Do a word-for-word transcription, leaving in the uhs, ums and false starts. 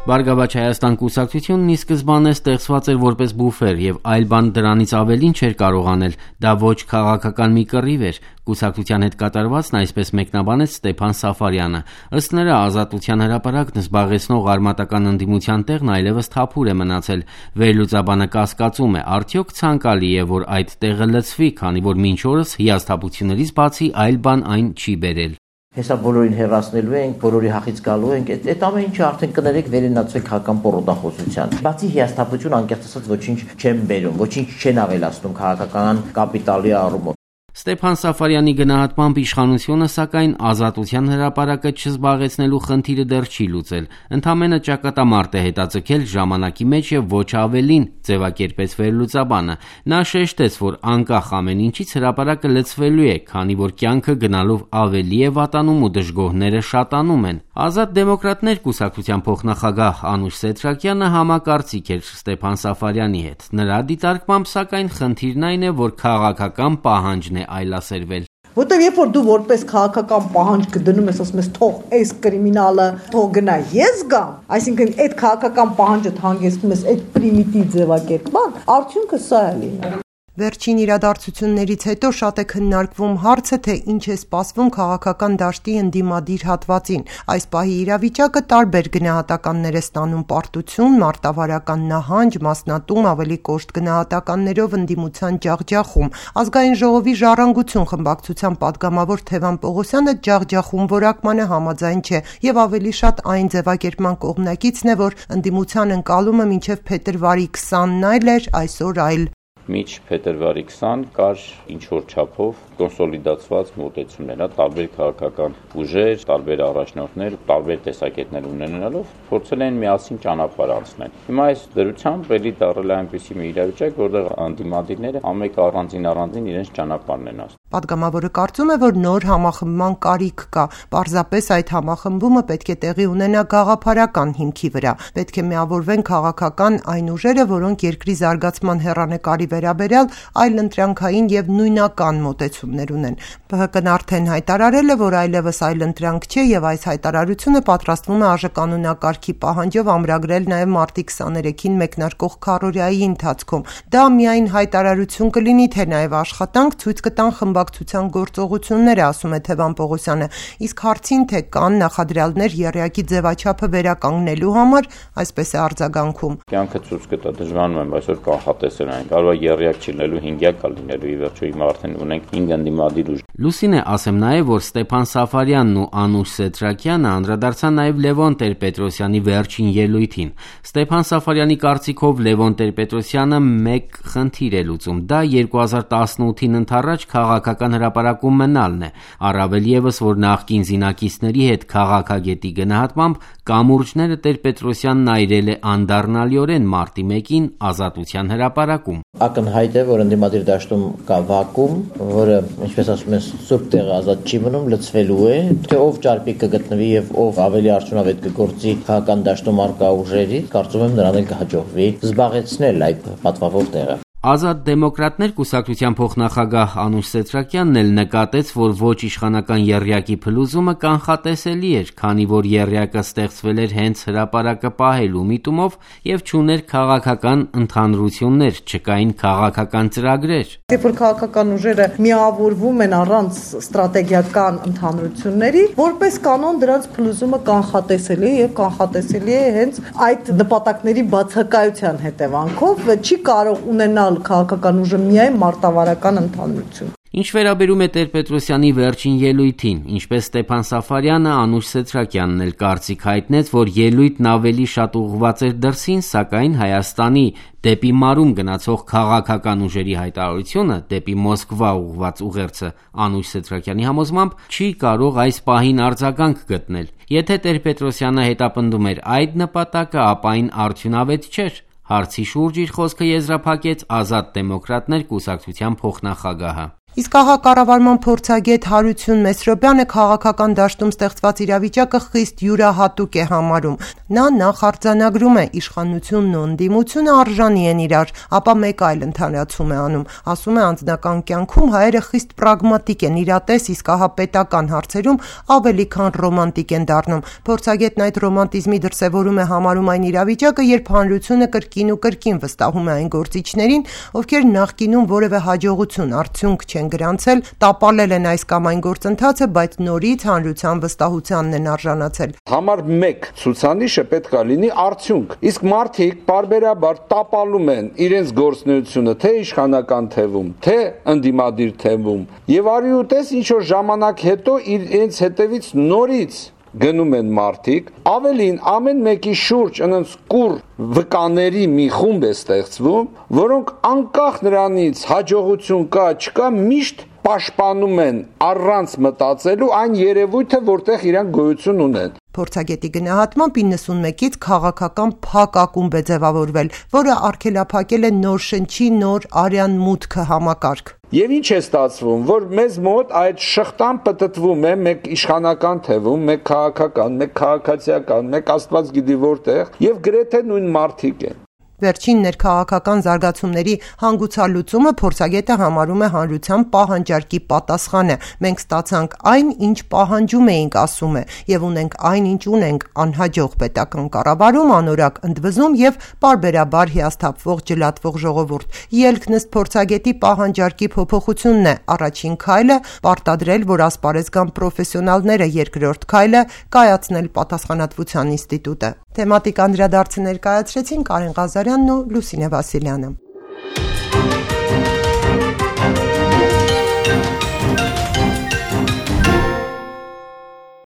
Բարգավաճ Հայաստան կուսակցությունն ի սկզբանե ստեղծված էր որպես բուֆեր եւ այլ բան դրանից ավելին չէր կարող անել, դա ոչ քաղաքական մի կռիվ էր, կուսակցության հետ կատարվածն այսպես մեկնաբանեց Ստեփան Սաֆարյանը։ Ըստ նրա, Ազատության հրապարակն զբաղեցնող արմատական ընդդիմության տեղն այլևս թափուր է մնացել։ Վերլուծաբանը կասկածում է, արդյոք ցանկալի է, որ այդ տեղը լցվի, քանի որ մինչ օրս հիասթափություններից բացի այլ բան այն չի բերել։ Հեսա բոլորին հեռացնելու ենք, բոլորի հախից գալու ենք, այդ ամեն ինչը արդեն կներեք վերենացվեք քաղաքական պորոտախոսության։ Բացի հիասթափություն, անկեղծ ասած ոչինչ չեն բերում, ոչինչ չեն ավելացնում քաղաքական կապիտալի առումով։ Ստեփան Սաֆարյանի գնահատմամբ իշխանությունը, սակայն, Ազատության հրապարակը չզբաղեցնելու խնդիրը դեռ չի լուծել։ Ընդամենը ճակատամարտ է հետաձգել ժամանակի մեջ եւ ոչ ավելին, ձևակերպեց վերլուծաբանը։ Նա շեշտեց, որ անկախ ամեն ինչից հրապարակը լցվելու է, քանի որ կյանքը գնալով ավելի է վատանում ու դժգոհները շատանում են։ Ազատ դեմոկրատներ կուսակցության փոխնախագահ Անուշ Սեթրակյանը համակարծիք էր Ստեփան Սաֆարյանի հետ։ Նրա դիտարկմամբ, սակայն, խնդիրն այն է, որ քաղաքական պահանջն է այլասերվել։ Որտեւ երբ որ դու որպես քաղաքական պահանջ կդնում ես, ասում ես թող այս կրիմինալը թող գնա, ես գամ, այսինքն այդ քաղաքական պահանջը հանգեցնում ես այդ պրիմիտիվ ձևակերպման, արդյունքը սա է լինում։ Վերջին իրադարձություններից հետո շատ է քննարկվում հարցը, թե ինչ է սպասվում քաղաքական դաշտի ընդդիմադիր հատվածին։ Այս պահի իրավիճակը տարբեր գնահատականներ է ստանում՝ պարտություն, մարտավարական նահանջ, մասնատում, ավելի կոշտ գնահատականներով ընդդիմության ջախջախում։ Ազգային ժողովի Ժառանգություն խմբակցության պատգամավոր Թևան Պողոսյանը ջախջախում որակմանը համաձայն չէ եւ ավելի շատ այն ձևակերպման կողմնակիցն է, որ ընդդիմության ընկալումը մինչեւ փետրվարի քսանն այլ էր, այսօր այլ։ Միջ փետրվարի քսան կար ինչ-որ չափով կոնսոլիդացված մոտեցումներ, տարբեր քաղաքական ուժեր, տարբեր առաջնորդներ, տարբեր տեսակետներ ունենալով փորձել են միասին ճանապարհ անցնել։ Հիմա այս դրությամբ էլի դառել է այնպիսի մի իրավիճակ, որտեղ անդիմադիրները ամեն առանձին առանձին իրենց ճանապարհն են անցնում։ Պատգամավորը կարծում է, որ նոր համախմբման կարիք կա։ Պարզապես այդ համախմբումը պետք է տեղի ունենա գաղափարական հիմքի վրա։ Պետք է միավորվեն քաղաքական այն ուժերը, որոնք երկրի զարգացման հեռանկարի վերաբերյալ այլ ընտրանքային եւ նույնական մոտեցումներ ունեն։ Բ Հ Կ-ն արդեն հայտարարել է, որ այլևս այլ ընտրանք չէ եւ այս հայտարարությունը պատրաստվում է ԱԺ-կանոնակարգի պահանջով ամրագրել նաեւ մարտի քսաներեքին մեկնարկող քառօրյայի ընթացքում։ Դա միայն հայտարարություն կլինի, թե նաեւ աշխատանք ցույց կտան խմբակցության գործողությունները, ասում է Թևան Պողոսյանը։ Իսկ հարցին, թե կան նախադրյալներ եռյակի ձևաչափը վերականգնելու համար, այսպես է արձագանքում։ Կյանքը ցույց կտա, դժվարանում եմ այսօր կանխատեսել այն, կարող է եռյակ չլինելու, հինգյակ լինելու, ի վերջո հիմա արդեն ունենք հինգ ընդդիմադիր ուժ։ Լուսինե, ասեմ նաև, որ Ստեփան Սաֆարյանն ու Անուշ Սեթրակյանը անդրադարձան նաև Լևոն Տեր-Պետրոսյանի վերջին ելույթին։ Ստեփան Սաֆարյանի կարծիքով Լևոն Տեր-Պետրոսյանը մեկ խնդիր է լուծում, դա երկու հազար տասնութին ընդառաջ քաղաքական հրապարակում մնալն է, առավել ևս, որ նախկին զինակիցների հետ քաղաքագետի գնահատմամբ կամուրջները Տեր-Պետրոսյանն այրել է անդառնալիորեն մարտի մեկին Ազատության հրապարակում։ Ակնհայտ է, որ ընդդիմադիր դաշտում կա վակուում, որը, ինչպես ասում են, սուրբ տեղը ազատ չի մնում, լցվելու է, թե ով ճարպիկ կգտնվի եւ ով ավելի արդյունավետ կգործի քաղաքական դաշտում արկա ուժերի, կարծում եմ նրան էլ կհաջողվի զբաղեցնել այդ պատվավոր տեղը։ Ազատ դեմոկրատներ կուսակցության փոխնախագահ Անուշ Սեթրակյանն էլ նկատեց, որ ոչ իշխանական եռյակի փլուզումը կանխատեսելի էր, քանի որ եռյակը ստեղծվել էր հենց հրապարակը պահելու միտումով եւ չուներ քաղաքական ընդհանրություններ, չկային քաղաքական ծրագրեր։ Երբ որ քաղաքական ուժերը միավորվում են առանց ստրատեգիական ընդհանրությունների, որպես կանոն դրանց փլուզումը կանխատեսելի է եւ կանխատեսելի է հենց այդ նպատակների բացակայության հետևանքով, չի կարող ունենալ քաղաքական ուժը միայն մարտավարական ընդհանրություն։ Ինչ վերաբերում է Տեր-Պետրոսյանի վերջին ելույթին, ինչպես Ստեփան Սաֆարյանը, Անուշ Սեթրակյանն էլ կարծիք հայտնեց, որ ելույթն ավելի շատ ուղղված էր դրսին, սակայն Հայաստանի դեպի մարում գնացող քաղաքական ուժերի հայտարարությունը դեպի Մոսկվա ուղղված ուղերձը Անուշ Սեթրակյանի համոզմամբ չի կարող այս պահին արձագանք գտնել։ Եթե Տեր-Պետրոսյանը հետապնդում էր այդ նպատակը, ապա այն արդյունավետ չէր։ Հարցի շուրջ իր խոսքը եզրափակեց Ազատ դեմոկրատներ կուսակցության փոխնախագահը։ Իսկ ահա կառավարման փորձագետ Հարություն Մեսրոբյանը քաղաքական դաշտում ստեղծված իրավիճակը խիստ յուրահատուկ է համարում։ Նա նախ արձանագրում է իշխանությունն ու ընդդիմությունը արժանի են իրար, ապա մեկ այլ ընդհանրացում է անում։ Ասում է անձնական կյանքում հայերը խիստ պրագմատիկ են, իրատես, իսկ ահա պետական հարցերում ավելի քան ռոմանտիկ են դառնում։ Փորձագետն այդ ռոմանտիզմի դրսևորում է համարում այն իրավիճակը, երբ հանրությունը կրկին ու կրկին վստահում է այն գործիչներին, ովքեր նախկինում որևէ հաջողություն, արդյունք չեն գրանցել, տապալել են այս կամ այն գործընթացը, բայց նորից հանրության վստահությանն են արժանացել։ Համար մեկ ցուցանիշը պետք է լինի արդյունք։ Իսկ մարդիկ պարբերաբար տապալում են իրենց գործունեությունը թե իշխանական թևում, թե ընդդիմադիր թևում, եւ արի ու տես ինչ որ ժամանակ հետո իրենց հետևից նորից գնում են մարդիկ, ավելին ամեն մեկի շուրջ այնց կուր վկաների մի խումբ է ստեղծվում, որոնք անկախ նրանից հաջողություն կա, չկա, միշտ պաշտպանում են առանց մտածելու այն երևույթը, որտեղ իրանք գոյություն ունեն։ Փորձագետի գնահատմամբ իննսունմեկից քաղաքական փակ ակումբ է ձևավորվել, որը արգելափակել է նոր շնչի, նոր արյան մուտքը համակարգ։ Եվ ինչ է ստացվում, որ մեզ մոտ այդ շղթան պտտվում է մեկ իշխանական թևում, մեկ քաղաքական, մեկ քաղաքացիական, մեկ աստված գիտի որտեղ, եւ գրեթե նույն մարդիկ են։ Վերջին ներքաղաքական զարգացումների հանգուցալուծումը փորձագետը համարում է հանրության պահանջարկի պատասխանը։ Մենք ստացանք այն, ինչ պահանջում էինք, ասում է, եւ ունենք այն, ինչ ունենք՝ անհաջող պետական կառավարում, անորակ ընդվզում եւ պարբերաբար հիասթափվող ջլատվող ժողովուրդ։ Ելքն ըստ փորձագետի պահանջարկի փոփոխությունն է։ Առաջին քայլը պարտադրել, որ ասպարեզ գան պրոֆեսիոնալները, երկրորդ քայլը կայացնել պատասխանատվության ինստիտուտը։ Թեմատիկ անդրադարձը ներկայացրեցին Կարեն Ղազարյանն ու Լուսինե Վասիլյանը։